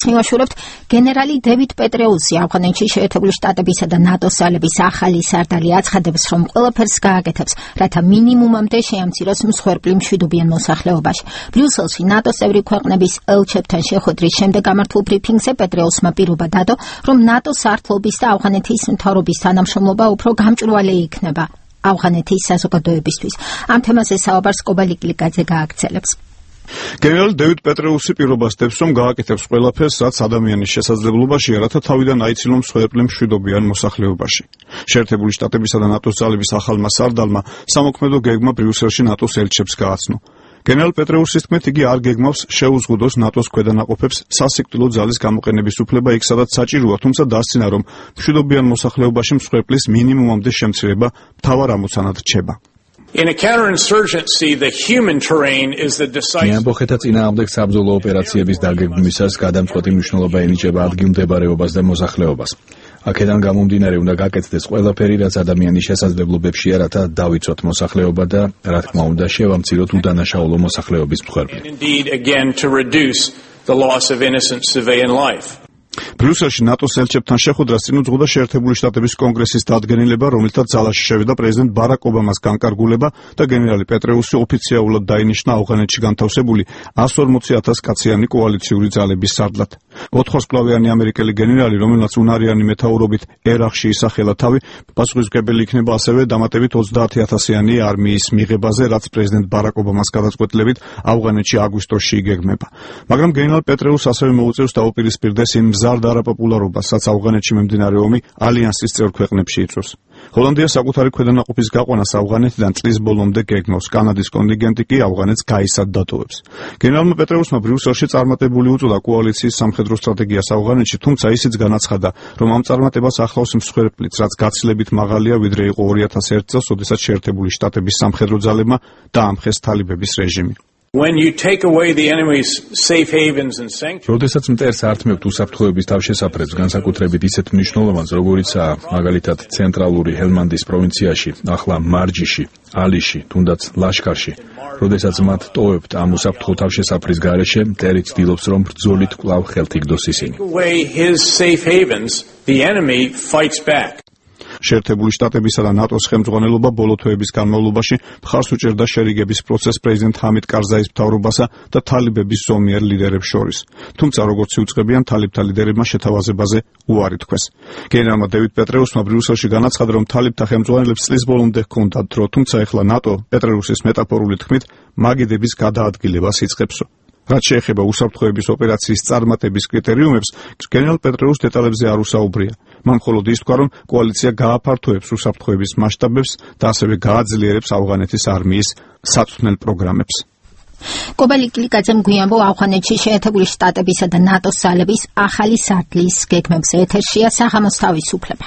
მივაშურებთ. გენერალი დევიდ პეტრეუსი ავღანეთში შეერთებული შტატებისა და ნატოს ძალების ახალი სარდალი აცხადებს, რომ ყველაფერს გააკეთებს, რათა მინიმუმამდე შეამციროს მსხვერპლი მშვიდობიან მოსახლეობაში. ბრიუსელში ნატოს წევრი ქვეყნების ელჩებთან შეხვედრის შემდეგ გამართულ ბრიფინგზე პეტრეუსმა პირობა დადო, რომ ნატოს სარდლობის და ავღანეთის მთავრობის თანამშრომლობა უფრო გამჭვირვალე იქნება ავღანეთის საზოგადოებისთვის. ამ თემაზე საუბარს კობალიკლიკაძე გააგრძელებს. გენერალი დევიდ პეტრეუსი პირობას დებს, რომ გააკეთებს ყველაფერს, რაც ადამიანის შესაძლებლობაშია, რათა თავიდან აიცილოს მსხვერპლი მშვიდობიან მოსახლეობაში. შეერთებული შტატებისა და ნატოს ძალების ახალმა სარდალმა სამოქმედო გეგმა ბრიუსელში ნატოს ელჩებს გააცნო. გენერალ პეტრეუსის თქმით, იგი არ გეგმავს შეუზღუდოს ნატოს ქვედანაყოფებს სასიკვდილო ძალის გამოყენების უფლება იქ, სადაც საჭიროა, თუმცა დასცინა, რომ მშვიდობიან მოსახლეობაში მსხვერპლის მინიმუმამდე შემცირება მთავარ ამოცანად რჩება. მეამბოხეთა წინააღმდეგ საბრძოლო ოპერაციების დაგეგმვისას გადამწყვეტი მნიშვნელობა ენიჭება ადგილმდებარეობას და მოსახლეობას. აქედან გამომდინარე უნდა გაკეთდეს ყველაფერი, რაც ადამიანის შესაძლებლობებშია, რათა დავიცვათ მოსახლეობა და, რა თქმა უნდა, შევამციროთ უდანაშაულო მოსახლეობის მსხვერპლი. ბრიუსელში ნატოს ელჩებთან შეხვედრას წინ უძღვოდა შეერთებული შტატების კონგრესის დადგენილება, რომლითაც ძალაში შევიდა პრეზიდენტ ბარაკ ობამას განკარგულება და გენერალი პეტრეუსი ოფიციალურად დაინიშნა ავღანეთში განთავსებული 140,000 კაციანი კოალიციური ძალების სარდლად. 400-მკლავიანი ამერიკელი გენერალი, რომელმაც უნარიანი მეთაურობით ერაყში ისახელა თავი, პასუხისმგებელი იქნება ასევე დამატებით 30,000-იანი არმიის მიღებაზე, რაც პრეზიდენტ ბარაკ ობამას გადაწყვეტილებით ავღანეთში აგვისტოში იგეგმება. მაგრამ გენერალ პეტრეუსს ასევე მოუწევს დაუპირისპირდეს იმ მზარდ არაპოპულარობას, რაც ავღანეთში მიმდინარე ომი ალიანსის წევრ ქვეყნებში იწვევს. ჰოლანდია საკუთარი ქვედანაყოფის გაყვანას ავღანეთიდან წლის ბოლომდე გეგმავს. კანადის კონტინგენტი კი ავღანეთს გაისად დატოვებს. გენერალმა პეტრეუსმა ბრიუსელში წარმატებული უწოდა კოალიციის სამხედრო სტრატეგიას ავღანეთში, თუმცა ისიც განაცხადა, რომ ამ წარმატებას ახლავს მსხვერპლიც, რაც გაცილებით მაღალია, ვიდრე იყო 2001 წელს, როდესაც შეერთებული შტატების სამხედრო ძალებმა დაამხეს თალიბების რეჟიმი. როდესაც მტერს ართმევთ უსაფრთხოების თავშესაფრებს, განსაკუთრებით ისეთ მნიშვნელოვანს, როგორიცაა მაგალითად ცენტრალური ჰელმანდის პროვინციაში, ახლა მარჯიში, ალიში, თუნდაც ლაშქარში, როდესაც მათ ტოვებთ ამ უსაფრთხო თავშესაფრის გარეშე, მტერი ცდილობს, რომ ბრძოლით კვლავ ხელთ იგდოს ისინი. შეერთებული შტატებისა და ნატოს ხელმძღვანელობა ბოლო თვეების განმავლობაში მხარს უჭერდა შერიგების პროცესს პრეზიდენტ ჰამიდ კარზაის მთავრობასა და თალიბების ზომიერ ლიდერებს შორის. თუმცა, როგორც იუწყებიან, თალიბთა ლიდერებმა შეთავაზებაზე უარი თქვეს. გენერალმა დევიდ პეტრეუსმა ბრიუსელში განაცხადა, რომ თალიბთა ხელმძღვანელებს წლის ბოლომდე ჰქონდათ დრო, თუმცა ეხლა ნატო პეტრეუსის მეტაფორული თქმით მაგიდების გადაადგილებას იწყებსო. რაც შეეხება უსაფრთხოების ოპერაციის წარმატების კრიტერიუმებს, გენერალ პეტრეუს დეტალებზე არ უსაუბრია. მან მხოლოდ ის თქვა, რომ კოალიცია გააფართოებს უსაფრთხოების მასშტაბებს და ასევე გააძლიერებს ავღანეთის არმიის საწვრთნელ პროგრამებს. კობალიკლიკაძემ გვიანბო ავღანეთში შეერთებული შტატებისა და ნატოს ძალების ახალი სარდლის გეგმებზე. ეთერშია საღამოს თავისუფლება.